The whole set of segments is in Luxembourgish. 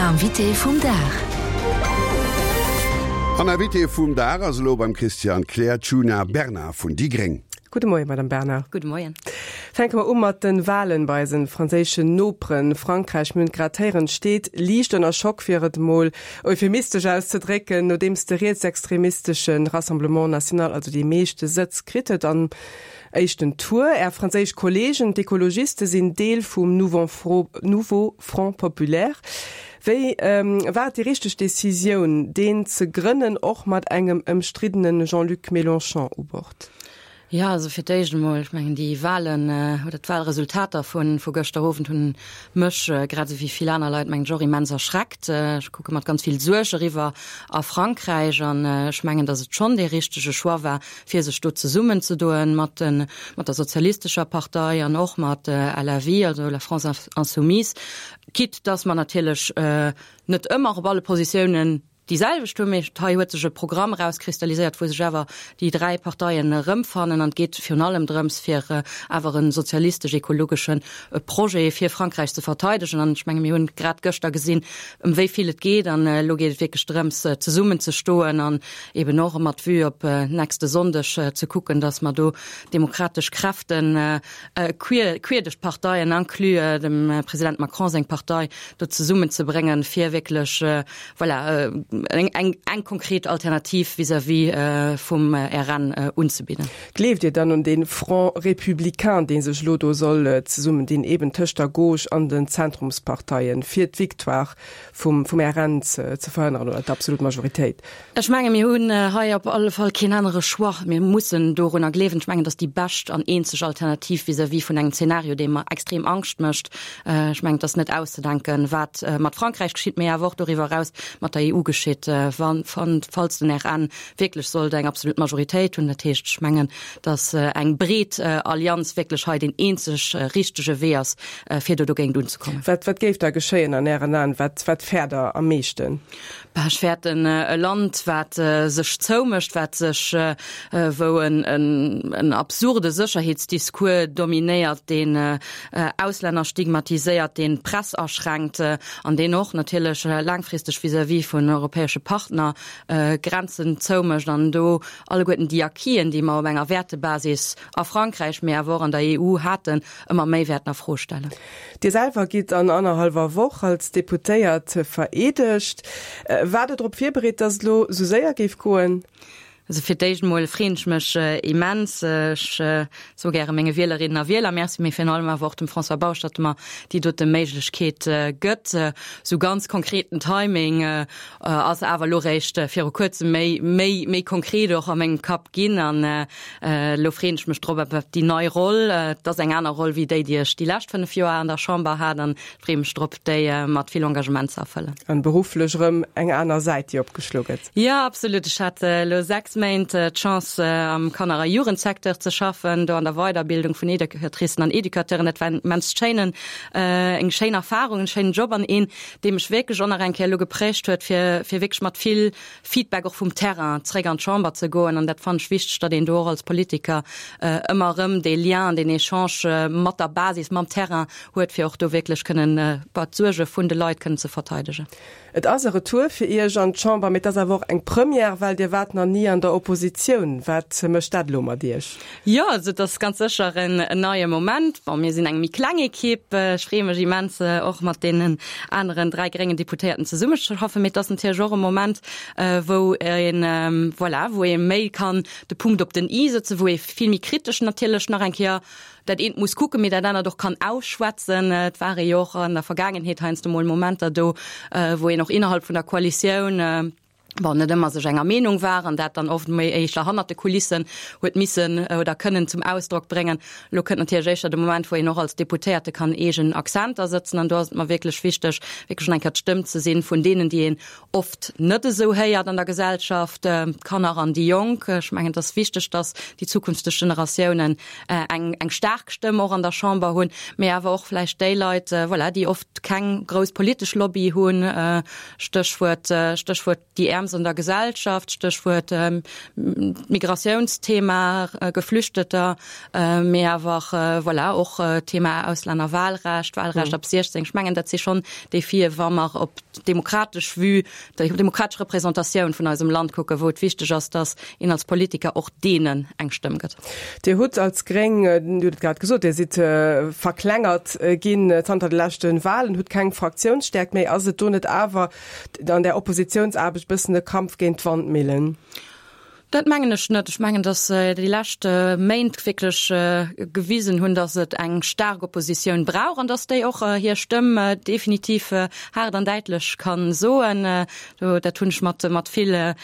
Invité vum Dag. An Invité vum Dag ass elo beim Christian Kleer d'Djuna Bernard vun déi Gréng. Gudde Moien, Madame Bernard. Gudde Moien. Fänke mer u mat de Walen bei eisen franséischen Noperen. Frankräich, mir hunn et grad héieren, steet liicht ënner Schock, fir et emol euphemistesch auszedrécken, nodeems de rietsextremistesche Rassemblement National also déi meeschte Sëtz kritt huet am éischten Tour. Är franséisch Kollegen, d'Ekologiste, sinn Deel vum Nouveau Front Populaire. Wéi war et déi richteg Decisioun, deen ze grënnen, och mat engem ëmstriddene Jean-Luc Mélenchon u Bord? Jo, also fir d'éischt emol, ech mengen déi Wahlen oder d'Wahlresultater vu vu gëschter Owend hunn mech, grad esou wéi vill aner Leit, mengen ech, och immens erschreckt. Ech kucke mat ganz vill Suerg eriwwer a Frankräich an ech mengen, datt et schonn dee richtege Choix war, fir sech do zesummenzedoen mat de mat der sozialistescher Partei an och mat LFI, also La France Insoumise, quitte datt mer natierlech net ëmmer op alle Positiounen déi selwecht hunn, mee hei huet sech e Programm erauskristalliséiert, wou sech awer déi 3 Parteien erëmfannen an et geet virun allem drëms, fir awer e sozialistesch-ekologesche Projet fir Frankräich ze verteidegen. An ech menge mir hunn grad gëschter gesinn, ëm wéi vill et geet an elo geet et wierklech drëms, zesummen ze stoen an eben och mat Vue op nächste Sonndeg ze kucken, datt mer do demokratesch Kräften queer duerch d'Parteien, inclus dem President Macron seng Partei, do zesummen ze bréngen, fir wierklech voilà, eng, eng, eng konkret Alternativ vis-à-vis vum RN unzebidden. Gleeft Dir dann un dee Front républicain, dee sech elo do soll zesummendinn, eben tëscht der Gauche an den Zentrumsparteien, fir d'Victoire vum, vum RN ze, ze verhënneren oder d'absolut Majoritéit? Ech menge mir hunn hei op alle Fall keen anere Choix. Mir mussen dorunner gleewen. Ech mengen, dat ass déi bescht an eenzeg Alternativ vis-à-vis vun engem Zeenario, dee mer extrem Angscht mécht. Ech mengen, et ass net auszedenken, wat mat Frankräich geschitt, mee awer och doriwwer eraus mat der EU geschitt, wann, falls den RN wierklech sollt eng absolut Majoritéit hunn. Dat heescht, ech mengen, datt eng breet Allianz wierklech hei deen eenzeg richtege Wee ass, fir do dogéint unzekommen. Wat, wat géif da geschéien an Ären Aen? Wat, wat fäert Der am meeschten? Bah, ech fäerten e Land, wat sech zoumécht, wat sech, wou en, en absurde Sécherheetsdiscours dominéiert, deen Auslänner stigmatiséiert, deen d'Press aschränkt an deen och natierlech laangfristeg vis-à-vis vun europäesche Partner Grenzen zoumécht an do alleguerten déi Acquisen, déi mer op enger Wäertebasis a Frankräich, mee awer och an der EU haten, ëmmer méi wäerten a Fro stellen. Dir selwer gitt an annerhallwer Woch als Deputéiert vereedegt. Waart Der drop virbereet, datt et elo esou séier géif goen? Also fir d'éischt emol freeën ech mech immens. Ech soe gäre menge Wielerinnen a Wieler Merci, mee virun allem awer och dem François Bausch, datt e mer déi dote Méiglechkeet gëtt. Esou ganz konkreten Timing ass awer elo réischt viru kuerzem méi, méi, méi konkret och a mengem Kapp ginn. An elo freeën ech mech drop op déi nei Roll. Et ass eng aner Roll wéi déi, déi ech déi lescht 5 Joer an der Chamber hat. An freeë mech drop, déi mat vill Engagement ze erfëllen. An berufflech erëm eng aner Säit, déi opgeschlo gëtt. Jo, absolut. Ech hat elo 6 Méint d'Chance, am Kanner a Jugendsecteur ze schaffen, do an der Weiderbildung vun Educatricen an Educateuren. Dat war en immens schéinen, eng schéin Erfarung, en schéinen Job an een, dee mech wierklech och nach eng Kéier elo geprägt huet, fir, fir wierklech mat vill Feedback och vum Terrain zréck an d'Chamber ze goen. An dat fannen ech wichteg, datt een do och als Politiker ëmmer erëm dee Lien an deen Echange mat der Basis, mam Terrain huet, fir och do wierklech kënnen d'Suerge vun de Leit kënnen ze verteidegen. Et ass e Retour fir Iech an d'Chamber, mee et ass awer och eng Première, well Dir waart nach ni an der Oppositioun. Wat mécht dat elo mat Iech? Jo, also et ass ganz sécher en neie Moment. Bon, mir sinn eng méi kleng Ekipp. Ech freeë mech immens, och mat deenen aneren 3 gréngen Deputéierten zesummeschaffen. Mee et ass natierlech och e Moment, wou een, voilà, wou ee méi kann de Punkt op den i sëtzen, wou ee vill méi kritesch natierlech nach eng Kéier dat eent muss kucken, mee dat anert och kann ausschwätzen. Et ware jo och an der Vergaangenheet heiansdo mol Momenter do, wou een och innerhalb vun der Koalitioun, bon, net ëmmer sech enger Meenung war an dat dann oft méi éischter hannert de Kulissen huet missen oder kënnen zum Ausdrock bréngen. Elo kënnt natierlech éischter de Moment, wou een och als Deputéierte kann eegen Accenter sëtzen an do ass et mer wierklech wichteg, wierklech eng Kéier d'Stëmm ze sinn vun deenen, déi een oft net esou héiert an der Gesellschaft, d'Kanner an déi Jonk. Ech mengen, et ass wichteg, datt déi zukünfteg Generatiounen eng, eng staark Stëmm och an der Chamber hunn, mee awer och vläicht déi Leit, voilà, déi oft keng grouss politesch Lobby hunn, Stéchwuert, Stéchwuert déi Äermst. Bremms an der Gesellschaft, Stéchwuert Migratiounsthema, Geflüchteter, mee awer voilà och Thema Auslännerwahlrecht, Wahlrecht ab 16. Ech mengen, dat si schonn Defien, wa mer op d'demokratesch Vue, déi demokratesch Representatioun vun eisem Land kucken, wou et wichteg ass, datt een als Politiker och deenen eng Stëmm gëtt. Dir hutt als Gréng, Dir hutt et grad gesot, Dir sidd verklengert ginn zanter de leschte Wahlen, hutt keng Fraktiounsstäerkt méi. Ass et do net awer an där Oppositiounsaarbecht e bëssen e Kampf géint d'Wandmillen? Dat mengen ech net. Ech mengen, datt déi lescht Méint wierklech gewisen hunn, datt et eng staark Oppositioun brauch an datt déi och hir Stëmm definitiv haart an däitlech ka soen. Dat hunn ech mat mat vill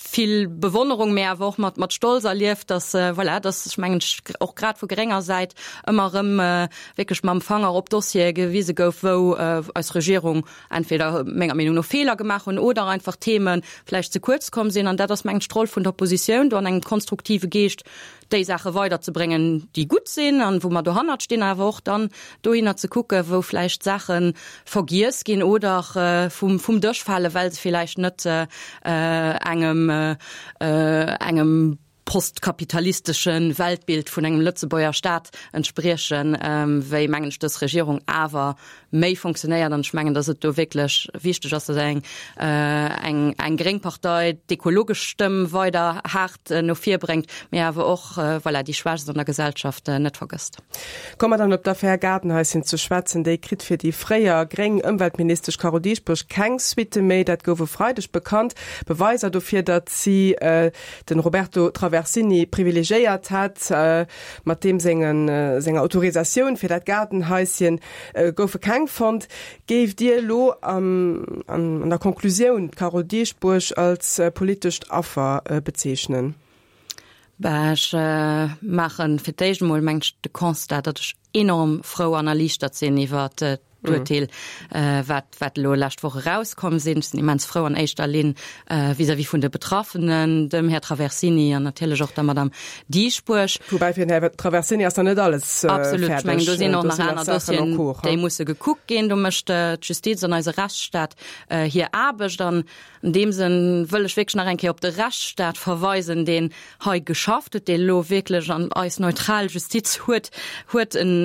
vill Bewonnerung, mä awer och mat mat Stolz erlieft, datt voilà, datt ech mengen och grad vu grénger Säit ëmmer erëm wierklech mam Fanger op Dossiere gewise gouf, wou eis Regierung entweder menger Meenung no Feeler gemaach hunn oder einfach Theme vläicht ze kuerz komm sinn. An dat ass, mengen ech, d'Roll vun der Oppositioun, do an engem konstruktive Geescht déi Saache weiderzebréngen, déi gutt sinn an wou mer dohannert stinn, awer och dann dohinner ze kucken, wou vläicht Saache vergiess ginn oder vum, vum Dësch falen, well se vläicht net engem, engem postkapitalistesche Weltbild vun engem Lëtzebuerger Staat entspriechen, wéi, mengen ech, dës Regierung awer méi funktionéiert. An ech mengen, datt et do wierklech wichteg ass, datt eng, eng, eng gréng Partei d'ekologesch Stëmm weider haart no vir bréngt, mee awer och, voilà, déi Schwächst an der Gesellschaft net vergësst. Komme mer dann op d'Affär Gaardenhaischen ze schwätzen. Déi kritt fir déi fréier gréng Ëmweltministesch Carole Dieschbourg keng Suitte méi. Dat gouf e Freideg bekannt. Beweiser dofir, datt si den Roberto Traversini privilegiéiert hätt. Mat deem senger Autorisatioun fir dat Gaardenhaischen goufe keng fonnt. Géift Dir elo an der Conclusioun d'Carole Dieschbourg als politescht Affer bezeechnen? Bah, ech maache fir d'éischt emol, mengen ech, de Constat, datt ech enorm frou an erliichtert sinn iwwert d'Urteel, wat, wat elo lescht Woch erauskomm sinn. Ech sinn immens frou an éischter Linn vis-à-vis vun de Betraffenen, dem Här Traversini an natierlech och der Madame Dieschbourg. Woubäi fir den Här Traversini ass nach net alles fäerdeg. Absolut, ech mengen, do sinn och nach aner Dossieren, déi musse gekuckt ginn. Do mécht d'Justiz an eise Rechtsstaat hir Aarbecht. An An deem Sënn wëll ech wierklech nach eng Kéier op de Rechtsstaat verweisen, deen hei geschafft huet, dee elo wierklech an eis neutral Justiz huet, huet en,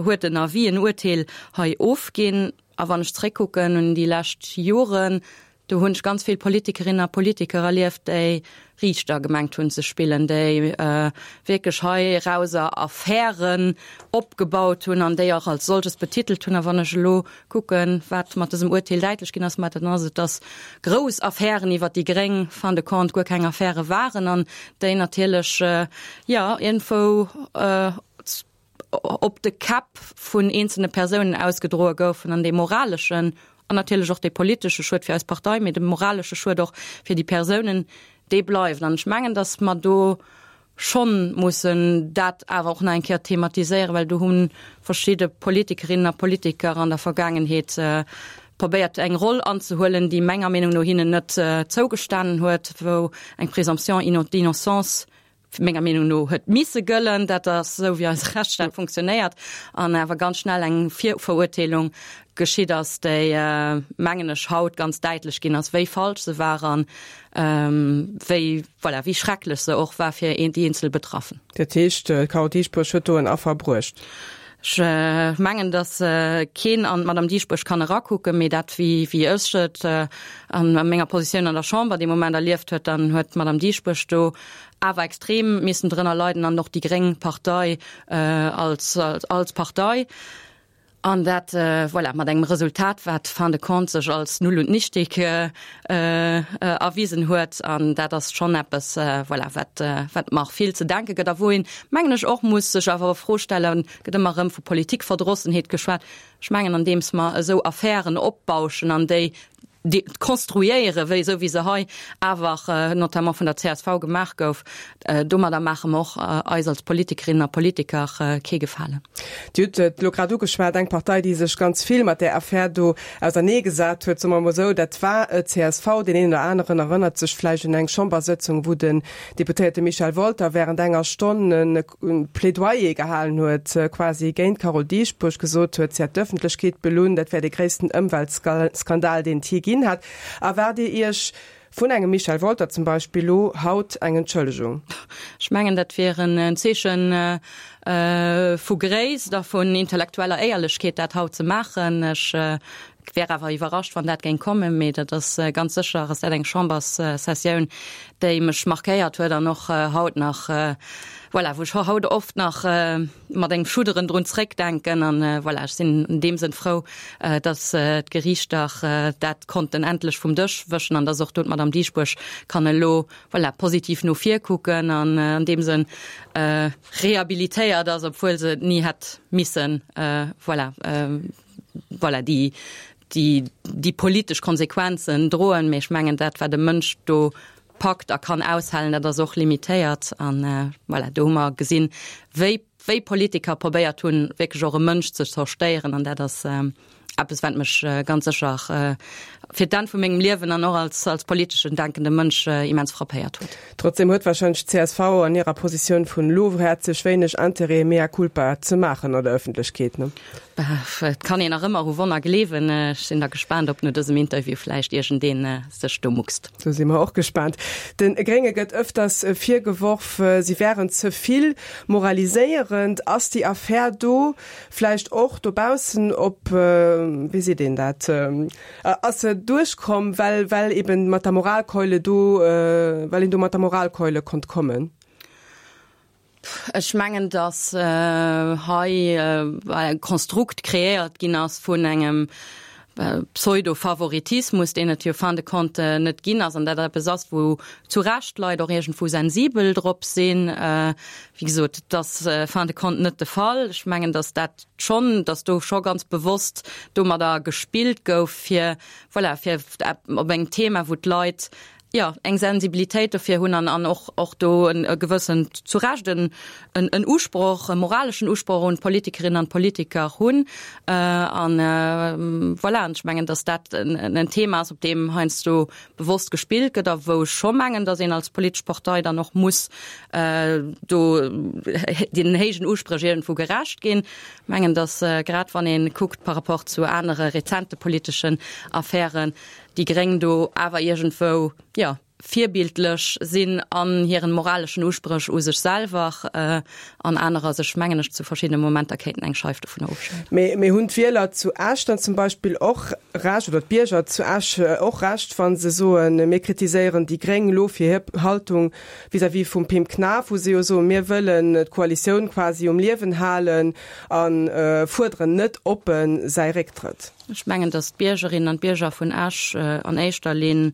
huet en Avis, en Urteel hei ofginn. A wann ech zréckkucken un déi lescht Joren, do hunn ech ganz vill Politikerinnen a Politiker erlieft, déi Riichter gemengt hunn ze spillen, déi wierklech heirauser Affären opgebaut hunn an déi och als solches betitelt hunn. A wann ech elo kucken, wat mat dësem Urteel däitlech ginn ass, ma dann ass et, dass grouss Affären iwwert déi Gréng fin de compte guer keng Affäre waren an déi natierlech, jo, iergendwou op de Käpp vun eenzelne Persounen ausgedroe goufen an dee moraleschen an natierlech och dee politesche Schued fir eis Partei, mee de moralesche Schued och fir déi Persounen, dee bleift. An ech mengen, datt mer do schonn mussen dat awer och nach eng Kéier thematiséieren, well do hu verschidde Politikerinnen a Politiker an der Vergaangenheet probéiert eng Roll anzehuelen, déi menger Meenung no hinnen net zougestanen huet, wou eng Présomption d'innocence menger Meenung no huet misse gëllen. Dat ass esou, wéi eise Rechtsstaat funktionéiert, an awer ganz schnell eng Virverurteelung geschitt ass, déi, mengen ech, haut ganz däitlech ginn ass, wéi falsch se war an wéi, voilà, wéi schrecklech se och war fir déi eenzel Betraffen. Dat heescht, d'Carole Dieschbourg huet do en Affer bruecht? Ech mengen, datt keen an d'Madame Dieschbourg kann erakucken, mee dat, wéi ech et a menger Positioun an der Chamber dee Moment erlieft huet, dann huet d'Madame Dieschbourg do awer extrem missen drënner leiden an och déi gréng Partei als als Partei. An dat, voilà, mat engem Resultat, wat fin de compte sech als null und nichtig erwisen huet. An dat ass schonn eppes, voilà, wat wat mer vill ze denke gëtt a wou een, mengen ech, och muss sech awer e Fro stellen, gëtt ëmmer erëm vu Politikverdrossenheet geschwat. Ech mengen, andeems mer esou Affären opbauschen an déi konstruéieren, wéi esou wéi se hei awer notamment vun der csv gemaach gouf, domadder maache mer och eis als Politikerinnen a Politiker kee Gefalen. Dir hutt et elo grad ugeschwat, eng Partei, déi sech ganz vill mat där Affär do auserneegesat huet, soe mer emol esou, dat war d'CSV. Deen een oder aneren erënnert sech vläicht un eng Chambersëtzung, wou den Deputéierte Michel Wolter während enger Stonn e Plädoyer gehalen huet, quasi géint d'Carole Dieschbourg, gesot huet, si hätt d'Ëffentlechkeet belunn, dat wär dee gréissten Ëmweltskandal, deen et jee ginn. ginn hat. Erwaart Dir Iech vun engem Michel Wolter zum Beispill lo haut eng Entschëllegung? Ech mengen, dat wier en Zeeche vu Gréisst a vun intellektueller Éierlechkeet, dat haut ze maachen. Ech wär awer iwwerrascht, wann dat géing kommen. Mee dat ass ganz sécher ass dat eng Chamberssessioun, déi mech markéiert huet an och haut nach, voilà, wou ech haut oft nach mat engem Schudderen drun zréckdenken. An voilà, ech sinn an deem Sënn frou, datt d'Geriichter dat konnten endlech vum Dësch wëschen an datt och do d'Madame Dieschbourg kann elo, voilà, positiv no vir kucken an an deem Sënn rehabilitéiert ass, obwuel se et ni hätt missen, voilà, voilà, déi, déi, déi politesch Konsequenzen droen. Mee ech mengen, dat wat e Mënsch do packt a kann aushalen, dat ass och limitéiert. An voilà, do hu mer gesinn, wéi, wéi Politiker probéiert hunn, wierklech och e Mënsch ze zerstéieren. An dat ass eppes, wat mech ganz sécher fir d'Enn vu mengem Liewen an och als, als politeschen denkende Mënsch immens frappéiert huet. Trotzdem huet wahrscheinlech d'CSV an hirer Positioun vun elo häerzlech wéineg Interêt, mea culpa ze maachen an der Ëffentlechkeet, ne? Et kann een nach ëmmer u Wonner gleewen. Ech sinn da gespaant, ob no dësem Interview vläicht iergendee sech do muckst. Do si mer och gespaant. De Grénge gëtt ëfters virgeworf, si wären ze vill moraliséierend. Ass déi Affär do vläicht och dobaussen op, wéi seet een dat, ass se duerchkomm, well well eben mat der Moralkeule do, well een do mat der Moralkeule konnt kommen? Ech mengen, datt hei e Konstrukt kreéiert ginn ass vun engem Pseudo-Favoritismus, deen et jo fin de compte net ginn ass, an dat eppes ass, wou zu Recht d'Leit och iergendwou sensibel drop sinn. Wéi gesot, et ass fin de compte net de Fall. Ech mengen, datt dat schonn, datt do scho ganz bewosst domadder gespillt gouf, fir, voilà, fir op engem Thema, wou d'Leit jo, eng Sensibilitéit dofir hunn an an och och do en e gewëssen, zu Recht en en en Usproch, e moraleschen Usproch un d'Politikerinnen an d'Politiker hunn. An voilà, an ech mengen, datt dat en en Thema ass, op deem heiansdo bewosst gespillt gëtt a wou ech scho mengen, datt een als politesch Partei dann och muss do deenen héijen Uspréch iergendwou gerecht ginn. Ech mengen, datt grad wann ee kuckt par rapport zu anere rezente politeschen Affären, déi Gréng do awer iergendwou, jo, virbildlech sinn an hiren moraleschen Uspréch u sech selwer an anerer sech, mengen ech, zu verschiddene Momenter kéinten eng Scheif dovunner ofschneiden. Mee, mee hunn d'Wieler zu Esch dann zum Beispill och Recht, oder d'Bierger zu Esch och Recht, wa se soen, mir kritiséieren déi Gréng elo fir hir Haltung vis-à-vis vum Pim Knaff, wou se jo soen, mir wëllen d'Koalitioun quasi um Liewen halen a fuerderen net oppen säi Récktrëtt? Ech mengen, datt d'Biergerinnen an d'Bierger vun Esch an éischter Linn,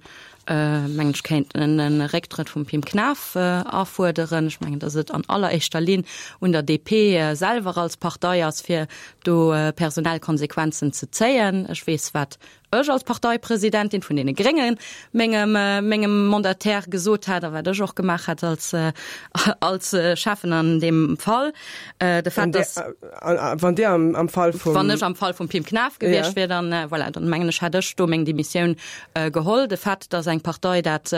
mengen ech, kéinten e Récktrëtt vum Pim Knaff afuerderen. Ech mengen, datt et an alleréischter Linn un der DP selwer als Partei ass, fir do personell Konsequenzen ze zéien. Ech weess, wat ech als Parteipresidentin vun deene Gréngen mengem, mengem Mandataire gesot hat a wat ech och gemaach hat als, als Schäffen an deem Fall. De Fait, datt. Wann Dir am, am Fall vum. Wann ech am Fall vum Pim Knaff gewiescht wier, dann, voilà, dann mengen ech, hätt ech do meng Demissioun geholl. De Fait, datt eng Partei dat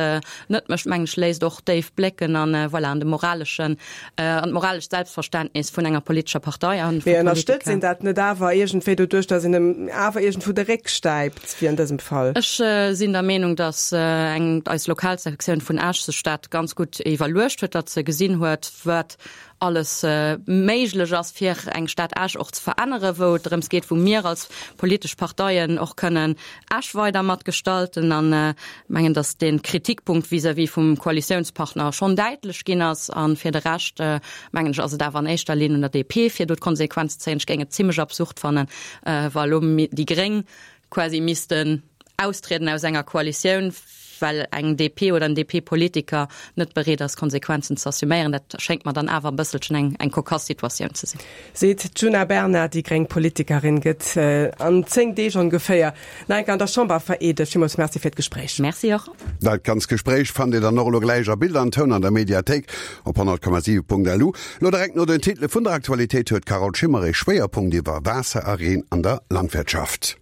net mécht, mengen ech, léisst och déif blécken an, voilà, an de moraleschen, an d'moralescht Selbstverständnis vun enger politescher Partei an vu Mee ënnerstëtzt een dat net awer iergendwéi doduerch, datt een em awer iergendwou de Réck stäipt, wéi an dësem Fall? Ech sinn der Meenung, datt eng, eis Lokalsektioun vun Esch sech dat ganz gutt iwwerluecht huet, datt se gesinn huet, wat alles méiglech ass, fir eng Stad Esch och ze veränneren, wou et drëms geet, wou mir als politesch Parteien och kënnen Esch weider mat gestalten. An ech mengen, datt dee Kritikpunkt vis-à-vis vum Koalitiounspartner schonn däitlech ginn ass. A fir de Rescht, mengen ech, ass et awer an éischter Linn un der DP, fir do d'Konsequenz ze zéien. Ech géing et zimlech absurd fannen, wa elo déi Gréng quasi missten austrieden aus enger Koalitioun, well eng DP oder en DP-Politiker net bereet ass, Konsequenzen ze assuméieren. Dat schéngt mer dann awer e bësselchen eng, eng kokass Situatioun ze sinn. Seet d'Djuna Bernard. Déi gréng Politikerin gëtt an 10 Deeg ongeféier nach eng Kéier an der Chamber vereedegt. Villmools Merci fir d'Gespréich. Merci och. Dat ganz Gespréich fannt Dir dann och elo gläich a Bild an Toun an der Mediathéik op 100,7.lu. Lo direkt no den Titele vun der Aktualitéit huet d'Carole Schimmer ee Schwéierpunkt iwwer Waasser a Reen an der Landwirtschaft.